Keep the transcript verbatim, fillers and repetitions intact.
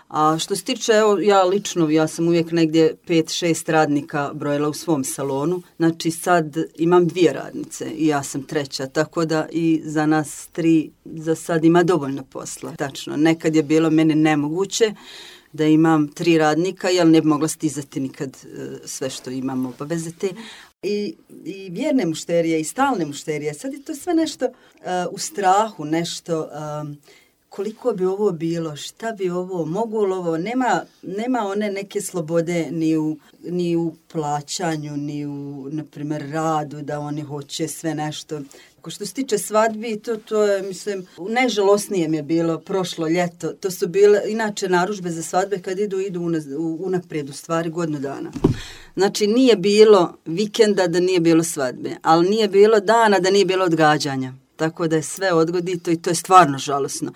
A što se tiče, evo, ja lično, ja sam uvijek negdje pet šest radnika brojila u svom salonu, znači sad imam dvije radnice i ja sam treća, tako da i za nas tri za sad ima dovoljno posla. Tačno, nekad je bilo meni nemoguće da imam tri radnika, jer ne bi mogla stizati nikad sve što imam obaveze te. I, i vjerne mušterije i stalne mušterije, sad je to sve nešto uh, u strahu, nešto... Um, koliko bi ovo bilo, šta bi ovo, mogu li ovo, nema, nema one neke slobode ni u, ni u plaćanju, ni u, na primjer, radu, da oni hoće sve nešto. Ako što se tiče svadbi, to, to je, mislim, najžalosnije mi je bilo prošlo ljeto. To su bile, inače, narudžbe za svadbe kad idu, idu unaprijed, u stvari, godinu dana. Znači, nije bilo vikenda da nije bilo svadbe, ali nije bilo dana da nije bilo odgađanja. Tako da je sve odgodito i to je stvarno žalosno.